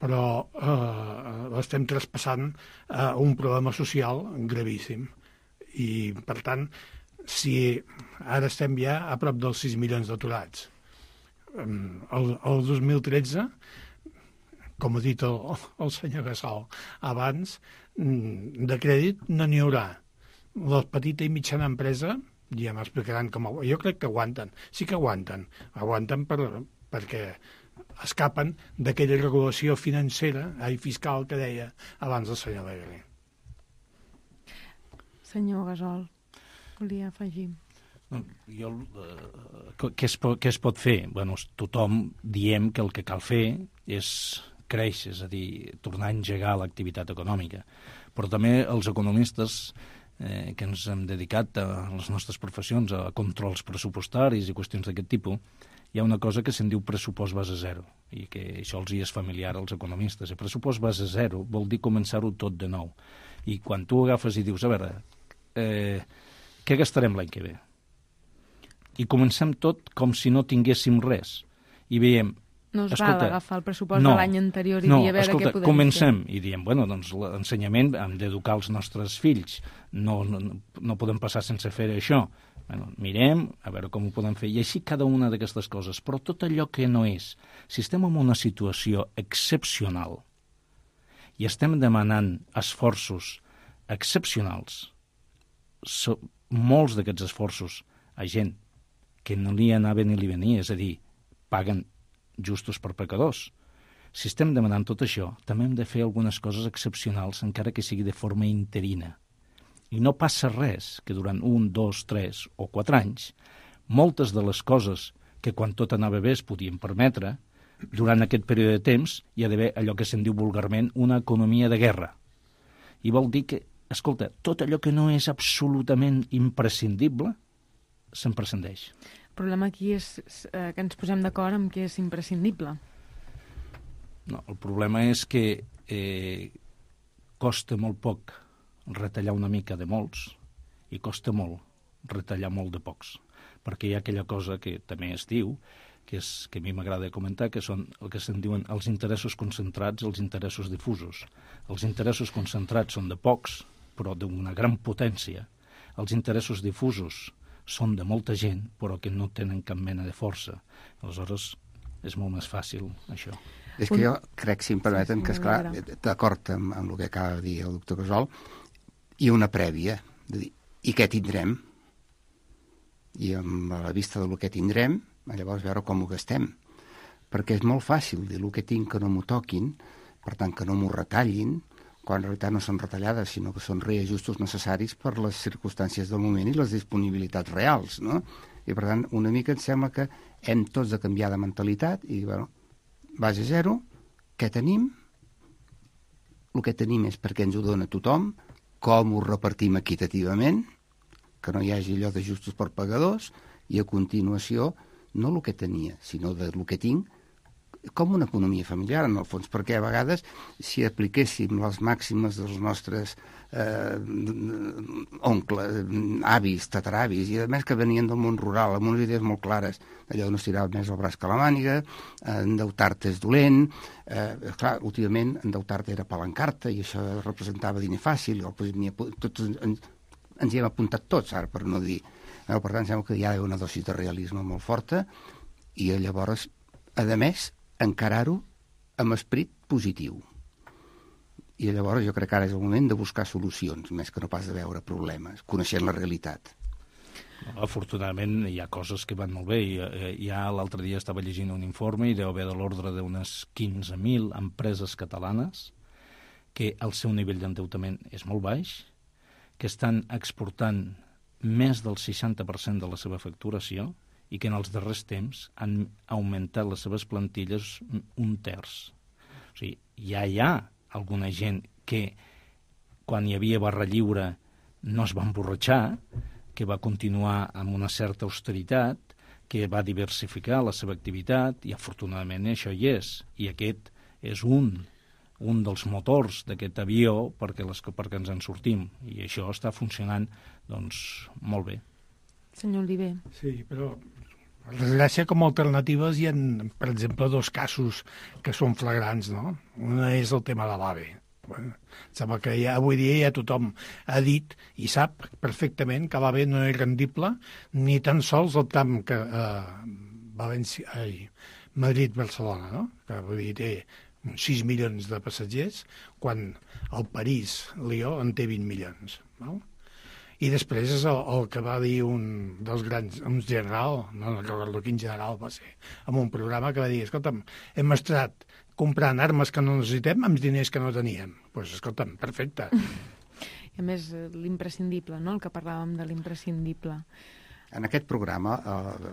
S6: però eh, l'estem traspassant a un problema social gravíssim. I, per tant, si ara estem ja a prop dels sis milions d'aturats, el, el dos mil tretze, com ha dit el, el senyor Gasol abans, de crèdit no n'hi haurà. La petita i mitjana empresa, ja m'explicaran com... Jo crec que aguanten, sí que aguanten. Aguanten per, perquè escapen d'aquella regulació financera i fiscal que deia abans el senyor Alegre.
S2: Senyor Gasol, volia afegir.
S3: Jo, eh, què, es, què es pot fer? Bueno, tothom diem que el que cal fer és créixer, és a dir, tornar a engegar l'activitat econòmica. Però també els economistes eh, que ens hem dedicat a les nostres professions, a controls pressupostaris i qüestions d'aquest tipus, hi ha una cosa que se'n diu pressupost base zero, i que això els hi és familiar als economistes. El pressupost base zero vol dir començar-ho tot de nou. I quan tu agafes i dius, a veure, eh, què gastarem l'any que ve? I comencem tot com si no tinguéssim res. I veiem...
S2: No es
S3: escolta,
S2: val agafar el pressupost
S3: no,
S2: de l'any anterior i
S3: no,
S2: dir a veure
S3: escolta,
S2: què podem
S3: comencem,
S2: fer.
S3: I diem, bueno, doncs l'ensenyament hem d'educar els nostres fills. No, no, no podem passar sense fer això. Bueno, mirem, a veure com ho podem fer. I així cada una d'aquestes coses. Però tot allò que no és, si estem en una situació excepcional i estem demanant esforços excepcionals, so, molts d'aquests esforços a gent que no li anava ni li venia, és a dir, paguen justos per pecadors. Si estem demanant tot això, també hem de fer algunes coses excepcionals, encara que sigui de forma interina. I no passa res que durant un, dos, tres o quatre anys, moltes de les coses que quan tot anava bé es podien permetre, durant aquest període de temps hi ha d'haver allò que se'n diu vulgarment una economia de guerra. I vol dir que, escolta, tot allò que no és absolutament imprescindible se'n prescindeix.
S2: El problema aquí és eh, que ens posem d'acord amb què és imprescindible.
S3: No, el problema és que eh, costa molt poc retallar una mica de molts i costa molt retallar molt de pocs, perquè hi ha aquella cosa que també es diu, que, és, que a mi m'agrada comentar, que són el que se'n diuen els interessos concentrats i els interessos difusos. Els interessos concentrats són de pocs, però d'una gran potència. Els interessos difusos són de molta gent, però que no tenen cap mena de força. Aleshores, és molt més fàcil, això.
S5: És que jo crec, si em permeten, que, esclar, d'acord amb, amb el que acaba de dir el doctor Gasol, hi ha una prèvia, de dir, i què tindrem? I amb la vista del que tindrem, llavors veure com ho gastem. Perquè és molt fàcil dir el que tinc que no m'ho toquin, per tant que no m'ho retallin, quan en realitat no són retallades, sinó que són reajustos necessaris per les circumstàncies del moment i les disponibilitats reals, no? I, per tant, una mica em sembla que hem tots de canviar de mentalitat i, bueno, base zero, què tenim? El que tenim és perquè ens ho dona tothom, com ho repartim equitativament, que no hi hagi allò d'ajustos per pagadors, i a continuació, no el que tenia, sinó del que tinc, com una economia familiar, en el fons, perquè a vegades, si apliquéssim les màximes dels nostres eh, oncles, avis, tataravis, i a més que venien del món rural, amb unes idees molt clares, allò de no estirar més el braç que la màniga, eh, endeutar-te és dolent, eh, clar, últimament endeutar-te era palancar-te, i això representava diner fàcil, i pues, tots ens, ens hi hem apuntat tots, ara, per no dir. Eh, per tant, sembla que hi ha una dosi de realisme molt forta, i llavors, a més, encarar-ho amb esperit positiu. I llavors jo crec que ara és el moment de buscar solucions, més que no pas de veure problemes, coneixent la realitat.
S3: Afortunadament hi ha coses que van molt bé. Ja l'altre dia estava llegint un informe i deu haver de l'ordre d'unes quinze mil empreses catalanes que el seu nivell d'endeutament és molt baix, que estan exportant més del seixanta per cent de la seva facturació i que en els darrers temps han augmentat les seves plantilles un terç. O sigui, ja hi ha alguna gent que quan hi havia barra lliure no es va emborratxar, que va continuar amb una certa austeritat, que va diversificar la seva activitat, i afortunadament això hi és. I aquest és un, un dels motors d'aquest avió perquè, les, perquè ens en sortim. I això està funcionant doncs, molt bé.
S2: Senyor Oliver.
S6: Sí, però per desgràcia, com a alternatives hi ha, per exemple, dos casos que són flagrants, no? Una és el tema de l'AVE. Bueno, sembla que ja, avui dia ja tothom ha dit i sap perfectament que l'AVE no és rendible ni tan sols el tram que eh, València, ai, Madrid-Barcelona, no? Que vull dir, té sis milions de passatgers, quan el París-Lió en té vint milions. No? I després és el, el que va dir un dels grans, un general, no recordo quin general va ser, en un programa que va dir, escolta'm, hem estat comprant armes que no necessitem amb diners que no teníem. Doncs, pues, escolta'm, perfecte.
S2: I a més, l'imprescindible, no?, el que parlàvem de l'imprescindible.
S5: En aquest programa, eh,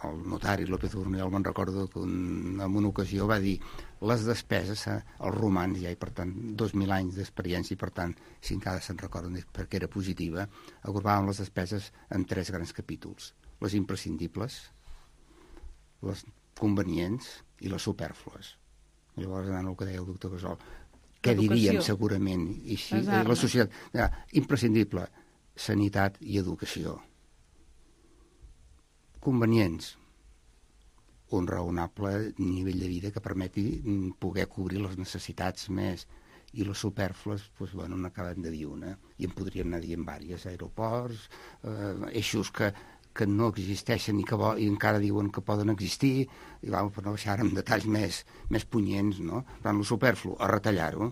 S5: el notari López Urniol, me'n recordo que un, en una ocasió va dir les despeses, eh, els romans, ja, i per tant, dos mil anys d'experiència, i per tant, si encara se'n recorden perquè era positiva, agrupàvem les despeses en tres grans capítols. Les imprescindibles, les convenients i les supèrflues. Llavors, anant el que deia el doctor Gasol, què diríem segurament? I així, la societat, ja, imprescindible, sanitat i educació. Convenients, un raonable nivell de vida que permeti poder cobrir les necessitats més, i les supèrflues, doncs, bueno, n'acabem de dir una, i en podríem anar dient diverses, aeroports, eh, eixos que, que no existeixen i que vo i encara diuen que poden existir, i vam, per no baixar amb detalls més, més punyents, no? Per tant, el superflu, a retallar-ho.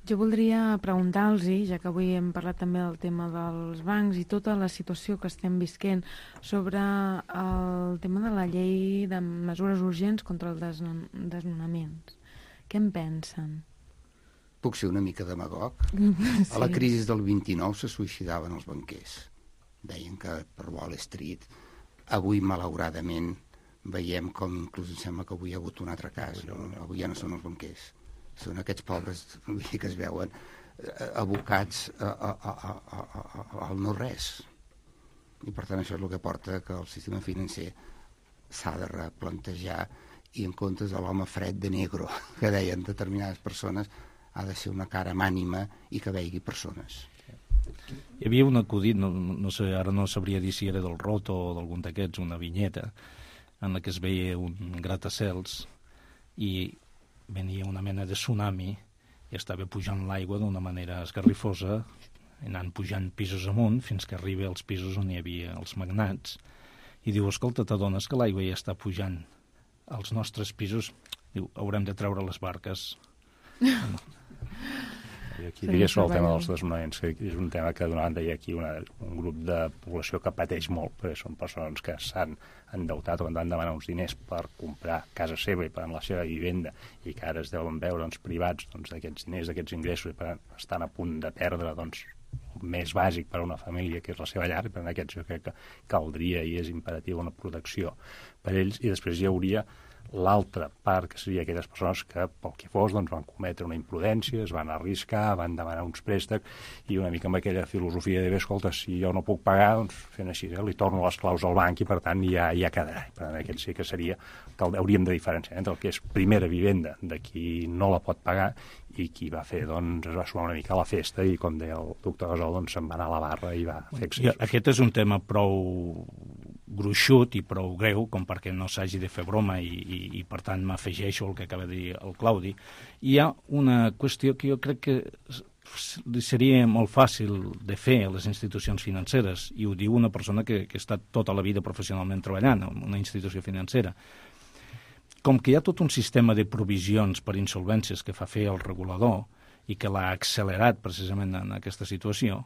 S2: Jo voldria preguntar-los, ja que avui hem parlat també del tema dels bancs i tota la situació que estem visquent, sobre el tema de la llei de mesures urgents contra els desnonaments. Què en pensen?
S5: Puc ser una mica demagog? Sí. A la crisi del vint-i-nou se suïcidaven els banquers. Deien que per Wall Street. Avui, malauradament, veiem com inclús em sembla que avui hi ha hagut un altre cas. No? Avui ja no són els banquers. Són aquests pobres que es veuen abocats a, a, a, a, a, al no-res. I per tant això és el que porta que el sistema financer s'ha de replantejar i en comptes de l'home fred de negro que deien determinades persones ha de ser una cara mànima i que veigui persones.
S3: Hi havia un acudit, no, no sé, ara no sabria dir si era del Roto o d'algun d'aquests, una vinyeta en la que es veia un gratacels i venia una mena de tsunami i estava pujant l'aigua d'una manera esgarrifosa, anant pujant pisos amunt fins que arriba als pisos on hi havia els magnats, i diu, escolta, t'adones que l'aigua ja està pujant als nostres pisos? Diu, haurem de treure les barques.
S7: I aquí diria sobre el tema dels desnonaments, que és un tema que d'una banda hi ha aquí una, un grup de població que pateix molt, perquè són persones que s'han endeutat o han demanar uns diners per comprar casa seva i per la seva vivenda i que ara es deuen veure doncs, privats doncs, d'aquests diners, d'aquests ingressos i per tant estan a punt de perdre doncs, el més bàsic per a una família que és la seva llar, i per tant aquests jo crec que caldria i és imperatiu una protecció per ells, i després hi hauria l'altra part, que seria aquelles persones que, pel que fos, doncs, van cometre una imprudència, es van arriscar, van demanar uns préstecs i una mica amb aquella filosofia de, bé, escolta, si jo no puc pagar, doncs fent així, eh, li torno les claus al banc i, per tant, ja, ja quedarà. Per tant, aquest sí que seria que hauríem de diferenciar entre el que és primera vivenda de qui no la pot pagar i qui va fer, doncs, es va sumar una mica a la festa i, com deia el doctor Gasol, doncs, se'n va anar a la barra i va fer excessos.
S3: Aquest és un tema prou gruixut i prou greu com perquè no s'hagi de fer broma i, i, i per tant m'afegeixo el que acaba de dir el Claudi. Hi ha una qüestió que jo crec que seria molt fàcil de fer a les institucions financeres, i ho diu una persona que, que ha estat tota la vida professionalment treballant en una institució financera. com que hi ha tot un sistema de provisions per insolvències que fa fer el regulador i que l'ha accelerat precisament en aquesta situació,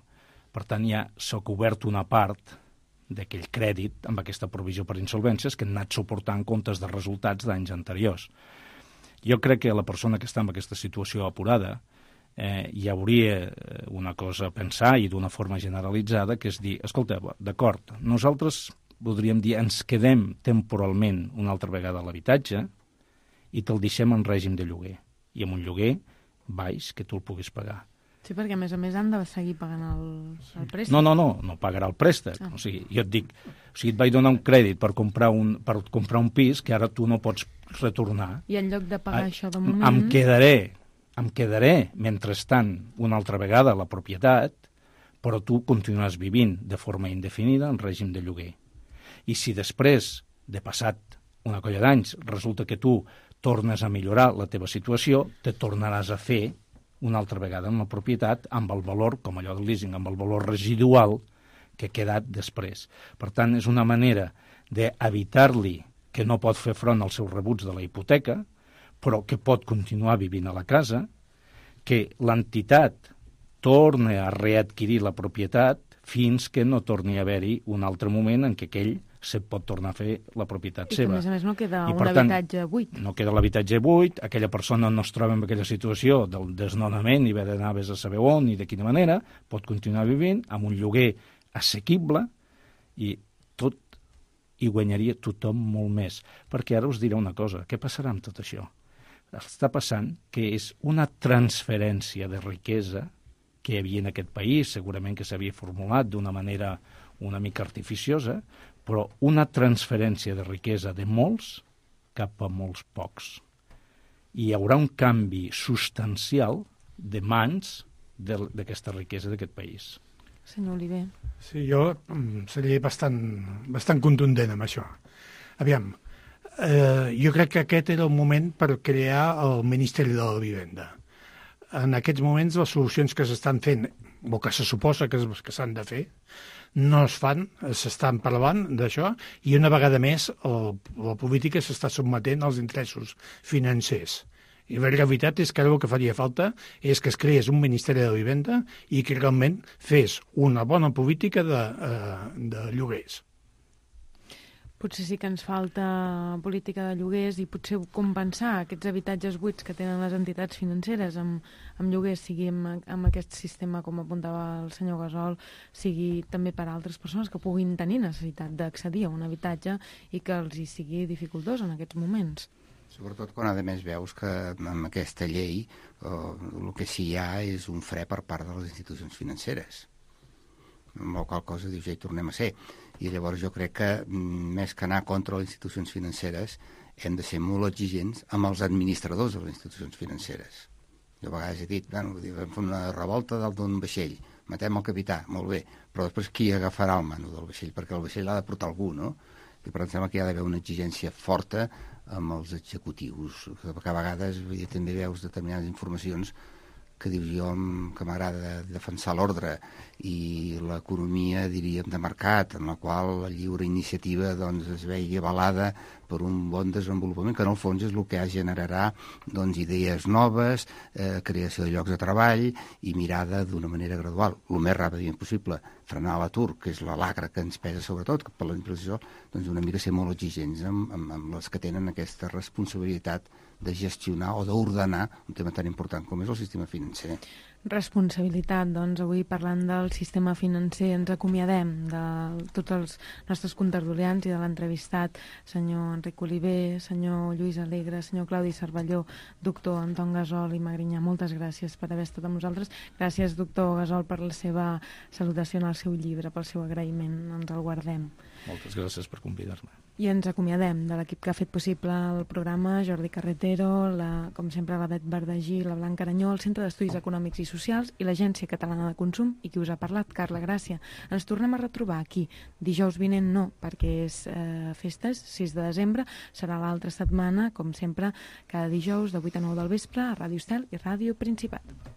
S3: per tant ja s'ha cobert una part d'aquell crèdit amb aquesta provisió per insolvències que han anat suportant comptes de resultats d'anys anteriors. Jo crec que la persona que està en aquesta situació apurada eh, hi hauria una cosa a pensar i d'una forma generalitzada, que és dir, escolta, d'acord, nosaltres podríem dir, ens quedem temporalment una altra vegada a l'habitatge i te'l deixem en règim de lloguer. I amb un lloguer baix que tu el puguis pagar.
S2: Sí, perquè a més a més han de seguir pagant el, el préstec.
S3: No, no, no, no pagarà el préstec. Ah. O sigui, jo et dic, o sigui, et vaig donar un crèdit per comprar un, per comprar un pis que ara tu no pots retornar.
S2: I en lloc de pagar
S3: a,
S2: això de moment...
S3: Em quedaré, em quedaré, mentrestant, una altra vegada la propietat, però tu continuaràs vivint de forma indefinida en règim de lloguer. I si després, de passat una colla d'anys, resulta que tu tornes a millorar la teva situació, te tornaràs a fer una altra vegada en la propietat amb el valor, com allò del leasing, amb el valor residual que ha quedat després. Per tant, és una manera d'evitar-li que no pot fer front als seus rebuts de la hipoteca, però que pot continuar vivint a la casa, que l'entitat torna a readquirir la propietat fins que no torni a haver-hi un altre moment en què aquell se pot tornar a fer la propietat
S2: I
S3: seva.
S2: I que, a més a més, no queda
S3: I,
S2: un
S3: tant,
S2: habitatge buit.
S3: No queda l'habitatge buit, aquella persona no es troba en aquella situació del desnonament i haver d'anar a saber on i de quina manera, pot continuar vivint amb un lloguer assequible i tot hi guanyaria tothom molt més. Perquè ara us diré una cosa, què passarà amb tot això? Està passant que és una transferència de riquesa que hi havia en aquest país, segurament que s'havia formulat d'una manera una mica artificiosa, però una transferència de riquesa de molts cap a molts pocs. I hi haurà un canvi substancial de mans d'aquesta riquesa d'aquest país.
S2: Senyor Oliver.
S6: Sí, jo seria bastant, bastant contundent amb això. Aviam, eh, jo crec que aquest era el moment per crear el Ministeri de la Vivenda. En aquests moments les solucions que s'estan fent, o que se suposa que, que s'han de fer, no es fan, s'estan parlant d'això, i una vegada més el, la política s'està sotmetent als interessos financers. I la realitat és que ara el que faria falta és que es creés un Ministeri de Vivenda i que realment fes una bona política de, eh, de lloguers.
S2: Potser sí que ens falta política de lloguers i potser compensar aquests habitatges buits que tenen les entitats financeres amb, amb lloguers, sigui amb, amb aquest sistema, com apuntava el senyor Gasol, sigui també per a altres persones que puguin tenir necessitat d'accedir a un habitatge i que els hi sigui dificultós en aquests moments.
S5: Sobretot quan, a més, veus que amb aquesta llei eh, el que sí hi ha és un fre per part de les institucions financeres. Amb la qual cosa dius, ja hi tornem a ser. I llavors jo crec que, més que anar contra les institucions financeres, hem de ser molt exigents amb els administradors de les institucions financeres. Jo a vegades he dit, bueno, vam fer una revolta dalt d'un vaixell, matem el capità, molt bé, però després qui agafarà el mano del vaixell? Perquè el vaixell l'ha de portar algú, no? I per tant sembla que hi ha d'haver una exigència forta amb els executius, perquè a vegades vull dir, també veus determinades informacions que dius jo que m'agrada defensar l'ordre i l'economia, diríem, de mercat, en la qual la lliure iniciativa doncs, es vegi avalada per un bon desenvolupament, que en el fons és el que generarà doncs, idees noves, eh, creació de llocs de treball i mirada d'una manera gradual, el més ràpidament possible, frenar l'atur, que és la lacra que ens pesa sobretot, que per la impressió, doncs una mica ser molt exigents amb, amb, amb les que tenen aquesta responsabilitat de gestionar o d'ordenar un tema tan important com és el sistema financer.
S2: Responsabilitat, doncs avui parlant del sistema financer ens acomiadem de tots els nostres contertulians i de l'entrevistat, senyor Enric Oliver, senyor Lluís Alegre, senyor Claudi Cervelló, doctor Anton Gasol i Magrinyà. Moltes gràcies per haver estat amb nosaltres. Gràcies, doctor Gasol, per la seva salutació en el seu llibre, pel seu agraïment. Ens el guardem.
S3: Moltes gràcies per convidar-me.
S2: I ens acomiadem de l'equip que ha fet possible el programa, Jordi Carretero, la, com sempre la Bet Verdagí, la Blanca Aranyó, el Centre d'Estudis Econòmics i Socials i l'Agència Catalana de Consum, i qui us ha parlat, Carla Gràcia. Ens tornem a retrobar aquí. Dijous vinent no, perquè és eh, festes, sis de desembre, serà l'altra setmana, com sempre, cada dijous de vuit a nou del vespre a Ràdio Estel i Ràdio Principat.